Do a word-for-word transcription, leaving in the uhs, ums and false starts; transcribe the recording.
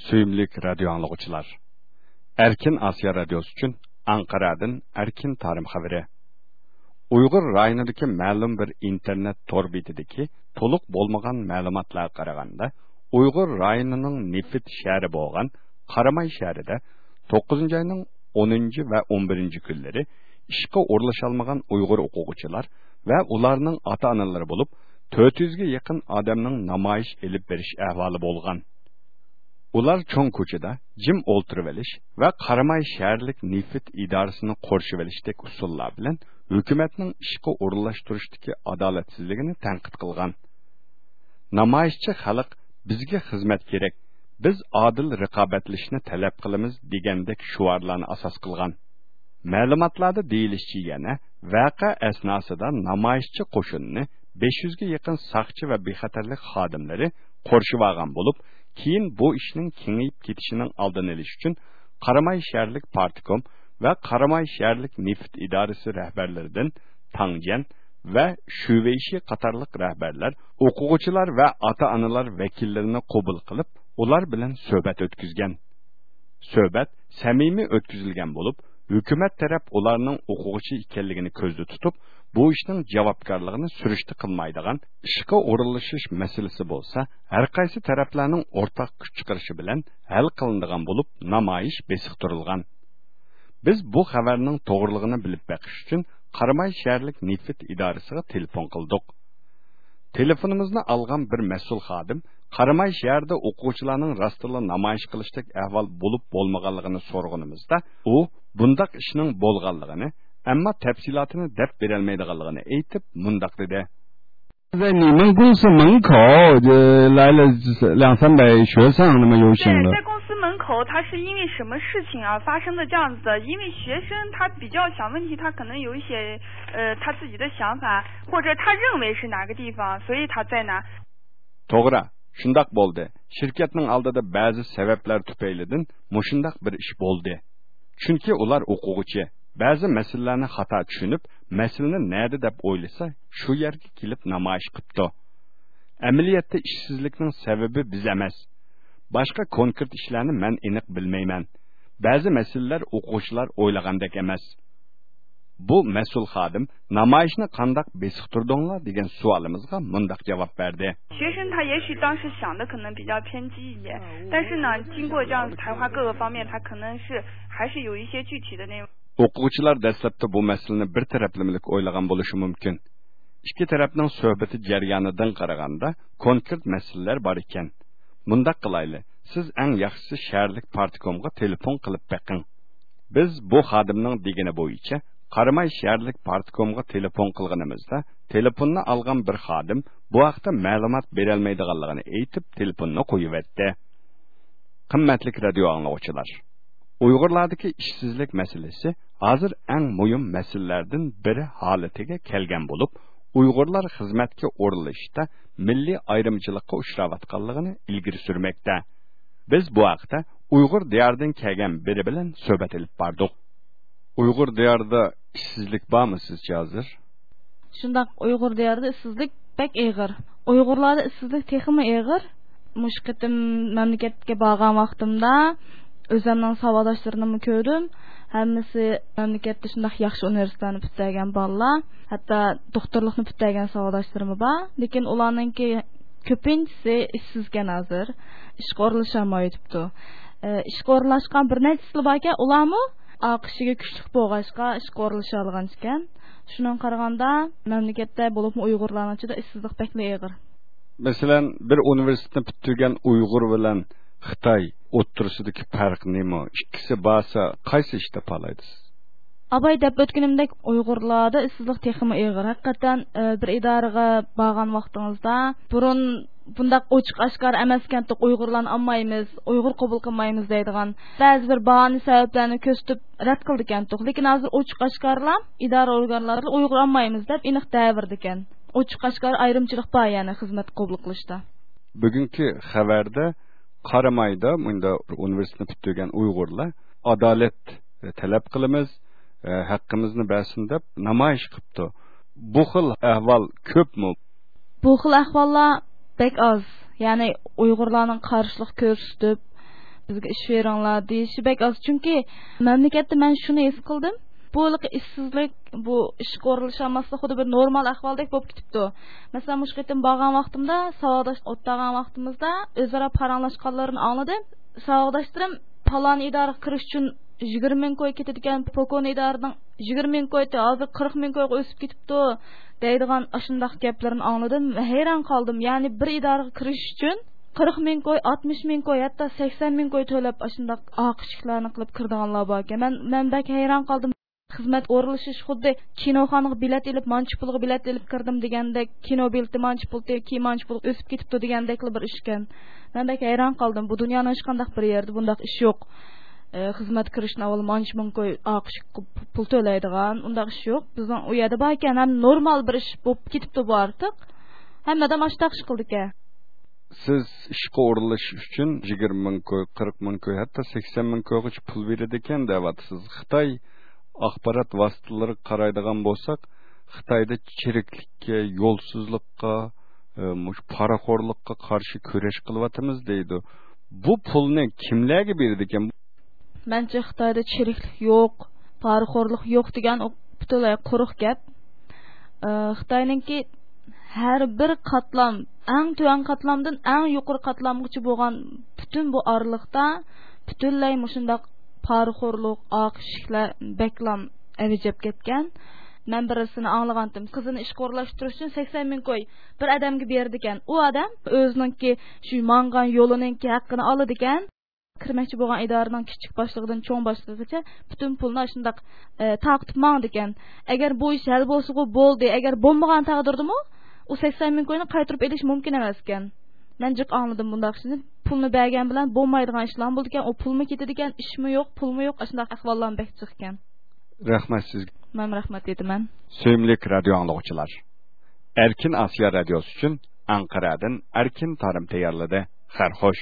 سۆيۈملۈك رادىيو ئاڭلىغۇچىلار! ئەركىن ئاسىيا رادىيوسى ئۈچۈن ئانقارادىن ئەركىن تارىم خەۋىرى. ئۇيغۇر رايونىدىكى مەلۇم بىر ئىنتېرنېت تور بېتىدىكى تولۇق بولمىغان مەلۇماتلارغا قارىغاندا، ئۇيغۇر رايونىنىڭ نېفىت شەھىرى بولغان قاراماي شەھىرىدە توققۇزىنچى ئاينىڭ ئونىنچى ۋە ئون بىرىنچى كۈنلىرى ئىشقا ئورۇنلىشالمىغان ئۇيغۇر ئوقۇغۇچىلار ۋە ئۇلارنىڭ ئاتا-ئانىلىرى بولۇپ، تۆت يۈزگە يېقىن ئادەمنىڭ نامايىش ئېلىپ بېرىش ئەھۋالى بولغان. ئۇلار چوڭ كوچىدا جىم ئولتۇرۇۋېلىش ۋە قاراماي شەھەرلىك نېفىت ئىدارىسىنى قورشىۋېلىشتەك ئۇسۇللار بىلەن ھۆكۈمەتنىڭ ئىشقا ئورۇنلاشتۇرۇشتىكى ئادالەتسىزلىكىنى تەنقىد قىلغان. نامايىشچى خەلق «بىزگە خىزمەت كېرەك، بىز ئادىل رىقابەتلىشىشنى تەلەپ قىلىمىز» دېگەندەك شوئارلارنى ئاساس قىلغان. مەلۇماتلاردا دېيىلىشىچە، يەنە ۋەقە ئەسناسىدا نامايىشچى قوشۇنىنى بەش يۈزگە يېقىن ساقچى ۋە بىخەتەرلىك خادىملىرى قورشىۋالغان بولۇپ، كېيىن بۇ ئىشنىڭ كېڭىيىپ كېتىشىنىڭ ئالدىنى ئېلىش ئۈچۈن قاراماي شەھەرلىك پارتكوم ۋە قاراماي شەھەرلىك نېفىت ئىدارىسى رەھبەرلىرىدىن تاڭجيەن ۋە شۈۋېيشى قاتارلىق رەھبەرلەر ئوقۇغۇچىلار ۋە ئاتا-ئانىلار ۋەكىللىرىنى قوبۇل قىلىپ، ئۇلار بىلەن سۆھبەت ئۆتكۈزگەن. سۆھبەت سەمىمىي ئۆتكۈزۈلگەن بولۇپ، ھۆكۈمەت تەرەپ ئۇلارنىڭ ئوقۇغۇچى ئىكەنلىكىنى كۆزدە تۇتۇپ، بۇ ئىشنىڭ جاۋابكارلىقىنى سۈرۈشتە قىلمايدىغان، ئىشقا ئورۇنلىشىش مەسىلىسى بولسا ھەرقايسى تەرەپلەرنىڭ ئورتاق كۈچ چىقىرىشى بىلەن ھەل قىلىنىدىغان بولۇپ، نامايىش بېسىقتۇرۇلغان. بىز بۇ خەۋەرنىڭ توغرىلىقىنى بىلىپ بېقىش ئۈچۈن قاراماي شەھەرلىك نېفىت ئىدارىسىغا تېلېفون قىلدۇق. تېلېفونىمىزنى ئالغان بىر مەسئۇل خادىم قاراماي شەھىرىدە ئوقۇغۇچىلارنىڭ راستتىنلا نامايىش قىلىشتەك ئەھۋال بولۇپ بولمىغانلىقىنى سورىغىنىمىزدا، ئۇ بۇنداق ئىشنىڭ بولغانلىقىنى، ئەمما تەپسىلاتىنى دەپ بېرەلمەيدىغانلىقىنى ئېيتىپ، مۇنداق دېدى. 在你们公司门口，呃，来了两三百学生，那么游行的。 对，在公司门口，他是因为什么事情而发生的这样子的？因为学生他比较小问题，他可能有一些，呃，他自己的想法，或者他认为是哪个地方，所以他在那。 توغرا، شۇنداق بولدى. شىركەتنىڭ ئالدىدا بەزى سەۋەبلەر تۈپەيلىدىن مۇشۇنداق بىر ئىش بولدى. چۈنكى ئۇلار ئوقۇغۇچى، بەزى مەسىلىلەرنى خاتا چۈشىنىپ، مەسىلىنى نەدە دەپ ئويلىسا، شۇ يەرگە كېلىپ نامايىش قىپتۇ. ئەمەلىيەتتە ئىشسىزلىكنىڭ سەۋەبى بىز ئەمەس. باشقا كونكرېت ئىشلارنى مەن ئېنىق بىلمەيمەن. بەزى مەسىلىلەر ئوقۇغۇچىلار ئويلىغاندەك ئەمەس. بۇ مەسئۇل خادىم نامايىشنى قانداق بېسىقتۇردۇڭلار دېگەن سوئالىمىزغا مۇنداق جاۋاب بەردى. 学生他也许当时想的可能比较偏激一点，但是呢，经过这样子谈话各个方面，他可能是还是有一些具体的内容。 ئوقۇغۇچىلار دەسلەپتە بۇ مەسىلىنى بىر تەرەپلىمىلىك ئويلىغان بولۇشى مۇمكىن. ئىككى تەرەپنىڭ سۆھبىتى جەريانىدىن قارىغاندا، كونكرېت مەسىلىلەر بار ئىكەن. مۇنداق قىلايلى، سىز ئەڭ ياخشىسى شەھەرلىك پارتكومغا تېلېفون قىلىپ بېقىڭ. بىز بۇ خادىمنىڭ دېگىنى بويىچە قاراماي شەھەرلىك پارتكومغا تېلېفون قىلغىنىمىزدا، تېلېفوننى ئالغان بىر خادىم بۇ ھەقتە مەلۇمات بېرەلمەيدىغانلىقىنى ئېيتىپ، تېلېفوننى قويۇۋەتتى. قىممەتلىك رادىيو ئاڭلىغۇچىلار! ئۇيغۇرلاردىكى ئىشسىزلىك مەسىلىسى ھازىر ئەڭ مۇھىم مەسىلىلەردىن بىرى ھالىتىگە كەلگەن بولۇپ، ئۇيغۇرلار خىزمەتكە ئورۇنلىشىشتا مىللىي ئايرىمچىلىققا ئۇچراۋاتقانلىقىنى ئىلگىرى سۈرمەكتە. بىز بۇ ھەقتە ئۇيغۇر دىيارىدىن كەلگەن بىرى بىلەن سۆھبەت ئېلىپ باردۇق. ئۇيغۇر دىيارىدا ئىشسىزلىك بارمۇ سىزچە ھازىر؟ شۇنداق، ئۇيغۇر دىيارىدا ئىشسىزلىك بەك ئېغىر. ئۇيغۇرلاردا ئىشسىزلىك تېخىمۇ ئېغىر. مۇشۇ قېتىم مەملىكەتكە بارغان ۋاقتىمدا ئۆزۈمنىڭ ساۋاقداشلىرىنىمۇ كۆردۈم. ھەممىسى مەملىكەتتە شۇنداق ياخشى ئۇنىۋېرسىتېتلارنى پۈتتۈرگەن بالىلار، ھەتتا دوختۇرلۇقنى پۈتتۈرگەن ساۋاقداشلىرىممۇ بار. لېكىن ئۇلارنىڭكى كۆپىنچىسى ئىشسىزكەن ھازىر. ئىشقا ئورۇنلىشالمايۋېتىپتۇ. ئى، ئىشقا ئورۇنلاشقان بىر نەچچىسىلا باركەن، ئۇلارمۇ ئاق ئىشىكى كۈچلۈك بولغاچقا ئىشقا ئورۇنلىشالىغان ئىكەن. شۇنىڭغا قارىغاندا، مەملىكەتتە، بولۇپمۇ ئۇيغۇرلارنىڭ ئىچىدە ئىشسىزلىق بەكلا ئېغىر. مەسىلەن، بىر ئۇنىۋېرسىتېتنى پۈتتۈرگەن ئۇيغۇر بىلەن خىتاي ئوتتۇرىسىدىكى پەرق نېمە؟ ئىككىسى بارسا، قايسى ئىش تاپالايدۇ سىز؟ ئاباي دەپ ئۆتكىنىمدەك، ئۇيغۇرلاردا ئىشسىزلىق تېخىمۇ ئېغىر. ھەقىقەتەن، ئى، بىر ئىدارىگە بارغان ۋاقتىڭىزدا، بۇرۇن بۇنداق ئوچۇق ئاشكارا ئەمەسكەنتۇق، ئۇيغۇرلارنى ئالمايمىز، ئۇيغۇر قوبۇل قىلمايمىز دەيدىغان بەزى بىر باھانە سەۋەبلەرنى كۆرسىتىپ رەت قىلىدىكەنتۇق. لېكىن ھازىر ئوچۇق ئاشكارىلا ئىدارە ئورگانلىرى ئۇيغۇر ئالمايمىز دەپ ئېنىق دەۋېرىدىكەن. ئوچۇق ئاشكارا ئايرىمچىلىق بار، يەنى خىزمەت قوبۇل قىلىشتا. بۈگۈنكى خەۋەردە قارامايدا مۇنداق ئۇنىۋېرسىتېتنى پۈتتۈرگەن ئۇيغۇرلار ئادالەت تەلەپ قىلىمىز، ھەققىمىزنى بەرسۇن دەپ نامايىش قىپتۇ. بۇ خىل ئەھۋال كۆپمۇ؟ بۇ خىل ئەھۋاللار بەك ئاز. يەنى ئۇيغۇرلارنىڭ قارشىلىق كۆرسىتىپ، بىزگە ئىش بېرىڭلار دېيىشى بەك ئاز. چۈنكى مەملىكەتتە مەن شۇنى ھېس قىلدىم، بۇ ھېلىقى ئىشسىزلىك، بۇ ئىشقا ئورۇنلىشالماسلىق خۇددى بىر نورمال ئەھۋالدەك بولۇپ كېتىپتۇ. مەسىلەن، مۇشۇ قېتىم بارغان ۋاقتىمدا، ساۋاقداش ئولتۇرغان ۋاقتىمىزدا ئۆزئارا پاراڭلاشقانلىرىنى ئاڭلىدىم. ساۋاقداشلىرىم پالان ئىدارىگە كىرىش ئۈچۈن يىگىرمە مىڭ كوي كېتىدىكەن، پوكون ئىدارىنىڭ يىگىرمە مىڭ كويتى ھازىر قىرىق مىڭ كويغا ئۆسۈپ كېتىپتۇ دەيدىغان ئاشۇنداق گەپلىرىنى ئاڭلىدىم. ھەيران قالدىم. يەنى بىر ئىدارىگە كىرىش ئۈچۈن قىرىق مىڭ كوي، ئاتمىش مىڭ كوي، ھەتتا سەكسەن مىڭ كوي تۆلەپ ئاشۇنداق ئاق ئىشىكلەرنى قىلىپ كىرىدىغانلار باركەن. مەن، مەن بەك ھەيران قالدىم. خىزمەت ئورۇنلىشىش خۇددى كىنوخانىغا بېلەت ئېلىپ، مانچە پۇلغا بېلەت ئېلىپ كىردىم دېگەندەك، كىنو بېلىتى مانچە پۇل، كىيىم مانچە پۇل ئۆسۈپ كېتىپتۇ دېگەندەكلا بىر ئىشكەن. مەن بەك ھەيران قالدىم. بۇ دۇنيانىڭ ھېچقانداق بىر يېرىدە بۇنداق ئىش يوق. ئە، خىزمەت كىرىشتىن ئاۋۋال مانچە مىڭ كوي ئاق ئىشىك پۇل تۆلەيدىغان ئۇنداق ئىش يوق. بىزنىڭ ئۇ يەردە باركەن، ھەم نورمال بىر ئىش بولۇپ كېتىپتۇ بۇ ئارتۇق. ھەممە ئادەم ئاشۇنداق ئىش قىلىدىكەن. سىز ئىشقا ئورۇنلىشىش ئۈچۈن يىگىرمە مىڭ كوي، قىرىق مىڭ كوي، ھەتتا سەكسەن مىڭ كويغىچە پۇل بېرىدىكەن دەۋاتىسىز. خىتاي ئاخبارات ۋاسىتىلىرىغا قارايدىغان بولساق، خىتايدا چىرىكلىككە، يولسىزلىققا، ئە، مۇشۇ پارىخورلۇققا قارشى كۈرەش قىلىۋاتىمىز دەيدۇ. بۇ پۇلنى كىملەرگە بېرىدىكەن؟ مەنچە خىتايدا چىرىكلىك يوق، پارىخورلۇق يوق دېگەن ئۇ پۈتۈنلەي قۇرۇق گەپ. ئە، خىتاينىڭكى ھەر بىر قاتلام، ئەڭ تۆۋەن قاتلامدىن ئەڭ يۇقىرى قاتلامغىچە بولغان پۈتۈن بۇ ئارىلىقتا پۈتۈنلەي مۇشۇنداق پارىخورلۇق، ئاق ئىشىكلەر بەكلام ئەۋج ئېلىپ كەتكەن. مەن بىرسىنى ئاڭلىغانتىم، قىزىنى ئىشقا ئورۇنلاشتۇرۇش ئۈچۈن سەكسەن مىڭ كوي بىر ئادەمگە بېرىدىكەن. ئۇ ئادەم ئۆزىنىڭكى شۇ ماڭغان يولىنىڭكى ھەققىنى ئالىدىكەن. كىرمەكچى بولغان ئىدارىنىڭ كىچىك باشلىقىدىن چوڭ باشلىقىغىچە پۈتۈن پۇلنى ئاشۇنداق، ئە، تارقىتىپ ماڭىدىكەن. ئەگەر بۇ ئىش ھەل بولسىغۇ بولدى، ئەگەر بولمىغان تەقدىردىمۇ ئۇ سەكسەن مىڭ كوينى قايتۇرۇپ ئېلىش مۇمكىن ئەمەسكەن. مەن جىق ئاڭلىدىم بۇنداق ئىشنى. پۇلنى بەرگەن بىلەن بولمايدىغان ئىشلارمۇ بولىدىكەن، ئۇ پۇلمۇ كېتىدىكەن، ئىشمۇ يوق، پۇلمۇ يوق، ئاشۇنداق ئەھۋاللارمۇ بەك جىقكەن. رەھمەت سىزگە. مەن رەھمەت ئېيتىمەن. سۆيۈملۈك رادىيو ئاڭلىغۇچىلار، ئەركىن ئاسىيا رادىيوسى ئۈچۈن ئەنقەرەدىن ئەركىن تارىم تەييارلىدى. خەير خوش.